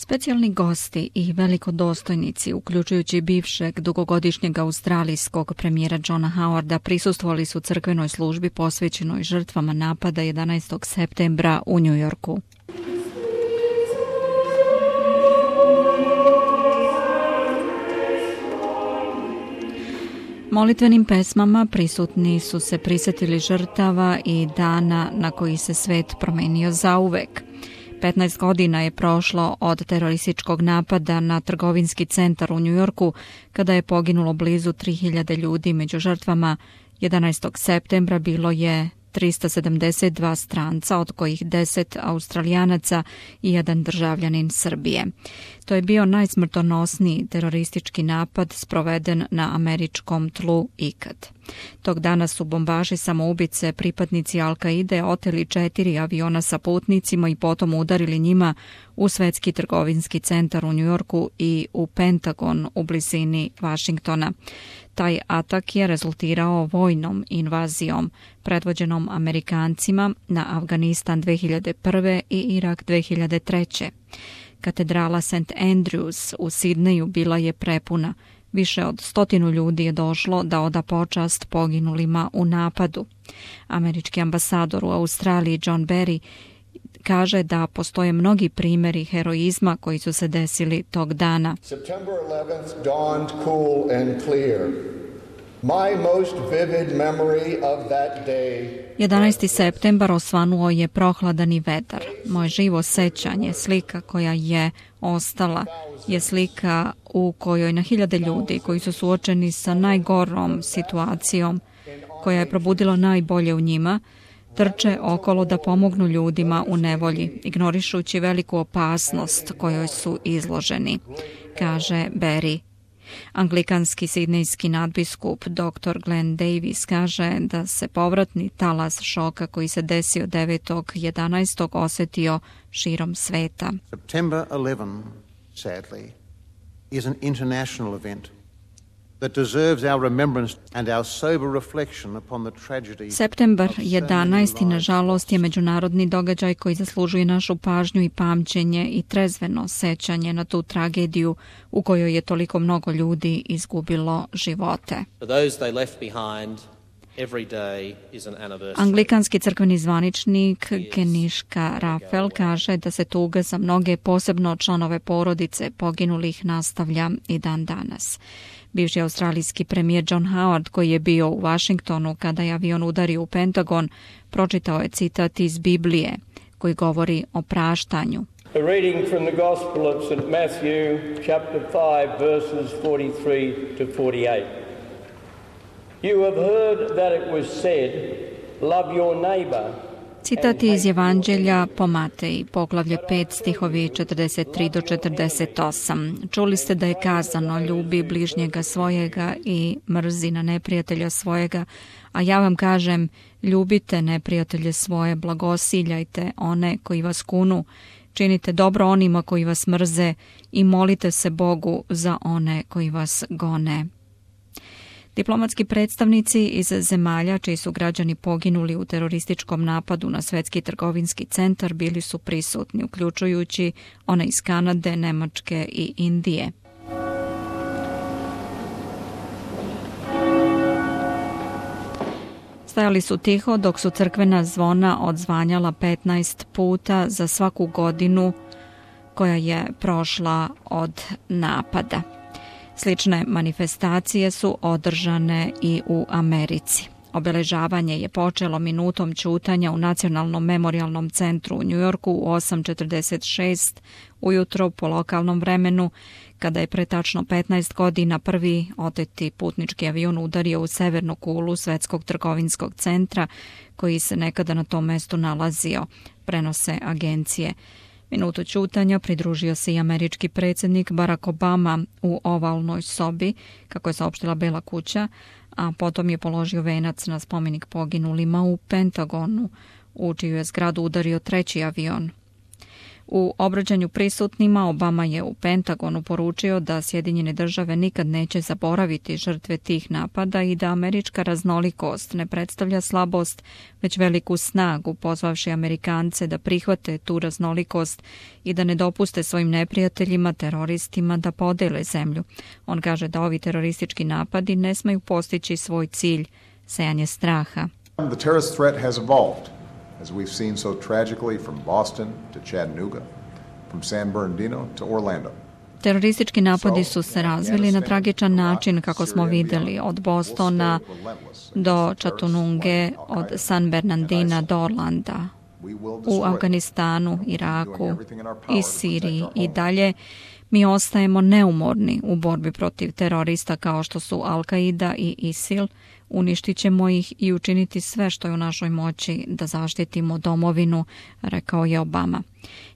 Specijalni gosti i velikodostojnici, uključujući bivšeg dugogodišnjeg australijskog premijera Johna Howarda, prisustvovali su crkvenoj službi posvećenoj žrtvama napada 11. septembra u New Yorku. Molitvenim pesmama prisutni su se prisjetili žrtava i dana na koji se svet promenio zauvek. 15 godina je prošlo od terorističkog napada na trgovinski centar u New Yorku, kada je poginulo blizu 3000 ljudi. Među žrtvama 11. septembra bilo je 372 stranca, od kojih 10 Australijanaca i 1 državljanin Srbije. To je bio najsmrtonosniji teroristički napad sproveden na američkom tlu ikad. Tog dana su bombaši samoubice, pripadnici Al-Kaide, oteli 4 aviona sa putnicima i potom udarili njima u svetski trgovinski centar u New Yorku i u Pentagon u blizini Vašingtona. Taj atak je rezultirao vojnom invazijom predvođenom Amerikancima na Afganistan 2001. i Irak 2003. Katedrala St. Andrews u Sidneju bila je prepuna. Više od 100 ljudi je došlo da oda počast poginulima u napadu. Američki ambasador u Australiji John Berry kaže da postoje mnogi primjeri heroizma koji su se desili tog dana. September 11th dawned cool and clear. My most vivid memory of that day. 11. septembar osvanuo je prohladan i vetar. Moje živo sećanje, slika koja je ostala, je slika u kojoj na hiljade ljudi koji su suočeni sa najgorom situacijom, koja je probudila najbolje u njima, trče okolo da pomognu ljudima u nevolji, ignorišući veliku opasnost kojoj su izloženi, kaže Berry. Anglikanski sidnejski nadbiskup dr. Glenn Davis kaže da se povratni talas šoka koji se desio 9.11. osjetio širom sveta. September 11, sadly, is an international event that deserves our remembrance and our sober reflection upon the tragedy. Septembar 11. nažalost je međunarodni događaj koji zaslužuje našu pažnju i pamćenje i trezveno sećanje na tu tragediju u kojoj je toliko mnogo ljudi izgubilo živote. Anglikanski crkveni zvaničnik Keniška Rafael kaže da se tuga za mnoge, posebno članove porodice poginulih, nastavlja i dan danas. Bivši australijski premijer John Howard, koji je bio u Vašingtonu kada je avion udario u Pentagon, pročitao je citat iz Biblije koji govori o praštanju. A reading from the Gospel of St. Matthew, chapter 5, verses 43 to 48. You have heard that it was said, love your neighbor. Citat iz Evanđelja po Mateji, poglavlje 5, stihovi 43 do 48. Čuli ste da je kazano, ljubi bližnjega svojega i mrzi na neprijatelja svojega, a ja vam kažem, ljubite neprijatelje svoje, blagosiljajte one koji vas kunu, činite dobro onima koji vas mrze i molite se Bogu za one koji vas gone. Diplomatski predstavnici iz zemalja čiji su građani poginuli u terorističkom napadu na svetski trgovinski centar bili su prisutni, uključujući one iz Kanade, Nemačke i Indije. Stajali su tiho dok su crkvena zvona odzvanjala 15 puta za svaku godinu koja je prošla od napada. Slične manifestacije su održane i u Americi. Obeležavanje je počelo minutom ćutanja u Nacionalnom memorijalnom centru u New Yorku u 8:46 ujutro po lokalnom vremenu, kada je pre tačno 15 godina prvi oteti putnički avion udario u severnu kulu svetskog trgovinskog centra koji se nekada na tom mestu nalazio, prenose agencije. Minutu ćutanja pridružio se i američki predsjednik Barack Obama u ovalnoj sobi, kako je saopštila Bela kuća, a potom je položio venac na spomenik poginulima u Pentagonu, u čiju je zgradu udario treći avion. U obraćanju prisutnima Obama je u Pentagonu poručio da Sjedinjene države nikad neće zaboraviti žrtve tih napada i da američka raznolikost ne predstavlja slabost, već veliku snagu, pozvavši Amerikance da prihvate tu raznolikost i da ne dopuste svojim neprijateljima, teroristima da podele zemlju. On kaže da ovi teroristički napadi ne smeju postići svoj cilj, sejanje straha. The terrorist threat has evolved, as we've seen so tragically from Boston to Chattanooga, from San Bernardino to Orlando. Teroristički napadi su se razvili na tragičan način, kako smo vidjeli, od Bostona do Chattanooge, od San Bernardina do Orlanda, u Afganistanu, Iraku i Siriji i dalje. Mi ostajemo neumorni u borbi protiv terorista kao što su Al-Qaida i ISIL. Uništit ćemo ih i učiniti sve što je u našoj moći da zaštitimo domovinu, rekao je Obama.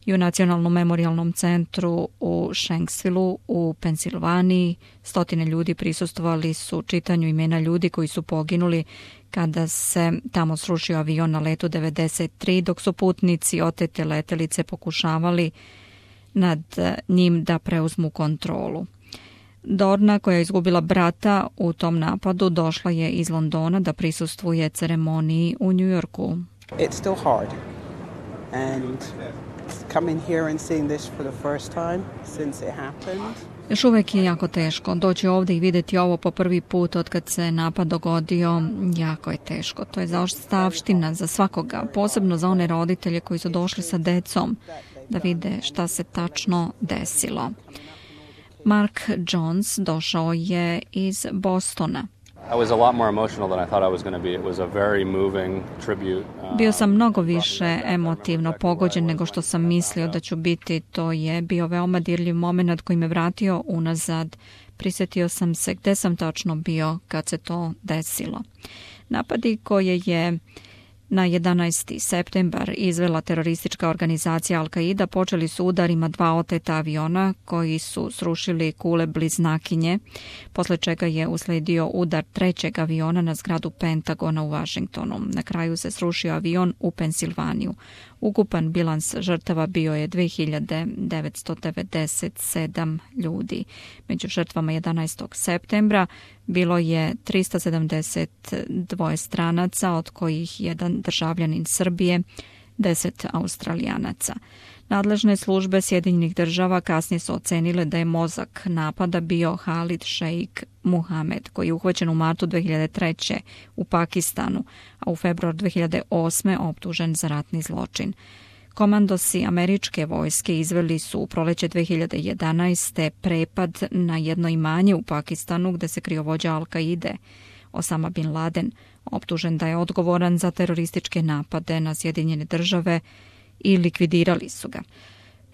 I u Nacionalnom memorijalnom centru u Shanksvillu u Pensilvaniji 100 ljudi prisustvovali su čitanju imena ljudi koji su poginuli kada se tamo srušio avion na letu 93, dok su putnici otete letelice pokušavali nad njim da preuzmu kontrolu. Dorna, koja je izgubila brata u tom napadu, došla je iz Londona da prisustvuje ceremoniji u New Yorku. It's still hard. And coming here and seeing this for the first time since it happened. Još uvijek je jako teško. Doći ovdje i vidjeti ovo po prvi put od kad se napad dogodio, jako je teško. To je zaostavština za svakoga, posebno za one roditelje koji su došli sa decom da vide šta se tačno desilo. Mark Jones došao je iz Bostona. Bio sam mnogo više emotivno pogođen nego što sam mislio da ću biti. To je bio veoma dirljiv moment koji me vratio unazad. Prisjetio sam se gde sam tačno bio kad se to desilo. Napadi koje je na 11. septembar izvela teroristička organizacija Al-Qaida počeli su udarima 2 oteta aviona koji su srušili kule bliznakinje, posle čega je usledio udar 3. aviona na zgradu Pentagona u Washingtonu. Na kraju se srušio avion u Pensilvaniju. Ukupan bilans žrtava bio je 2997 ljudi. Među žrtvama 11. septembra bilo je 372 stranaca, od kojih 1 državljanin Srbije, 10 Australijanaca. Nadležne službe Sjedinjenih država kasnije su ocenile da je mozak napada bio Khalid Sheikh Mohammed, koji je uhvaćen u martu 2003. u Pakistanu, a u februar 2008. optužen za ratni zločin. Komandosi američke vojske izveli su u proleće 2011. prepad na jedno imanje u Pakistanu gde se krio vođa Al-Qaide, Osama bin Laden, optužen da je odgovoran za terorističke napade na Sjedinjene države i likvidirali su ga.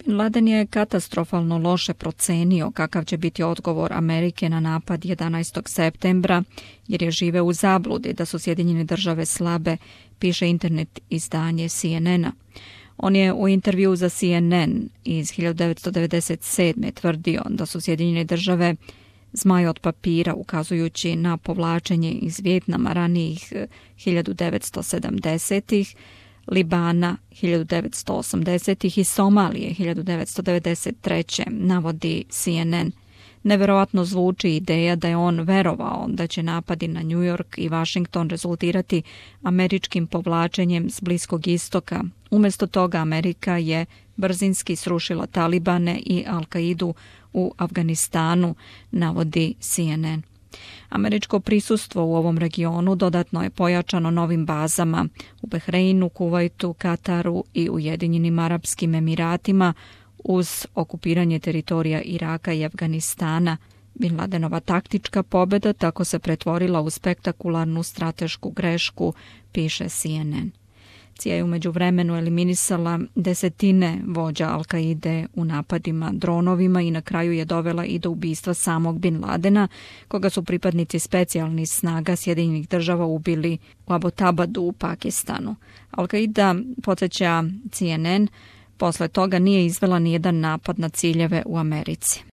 Bin Laden je katastrofalno loše procenio kakav će biti odgovor Amerike na napad 11. septembra, jer je živeo u zabludi da su Sjedinjene države slabe, piše internet izdanje CNN-a. On je u intervju za CNN iz 1997. tvrdio da su Sjedinjene države zmaj od papira, ukazujući na povlačenje iz Vijetnama ranijih 1970-ih, Libana 1980-ih i Somalije 1993. navodi CNN. Neverovatno zvuči ideja da je on verovao da će napadi na New York i Washington rezultirati američkim povlačenjem s Bliskog istoka. Umjesto toga Amerika je brzinski srušila Talibane i Al-Qaidu u Afganistanu, navodi CNN. Američko prisustvo u ovom regionu dodatno je pojačano novim bazama u Bahreinu, Kuvajtu, Kataru i Ujedinjenim Arapskim Emiratima uz okupiranje teritorija Iraka i Afganistana. Bin Ladenova taktička pobjeda tako se pretvorila u spektakularnu stratešku grešku, piše CNN. CIA je u međuvremenu eliminisala desetine vođa Al-Qaide u napadima dronovima i na kraju je dovela i do ubistva samog Bin Ladena, koga su pripadnici specijalnih snaga Sjedinjenih država ubili u Abbottabadu u Pakistanu. Al-Qaida, podsjeća CNN, posle toga nije izvela nijedan napad na ciljeve u Americi.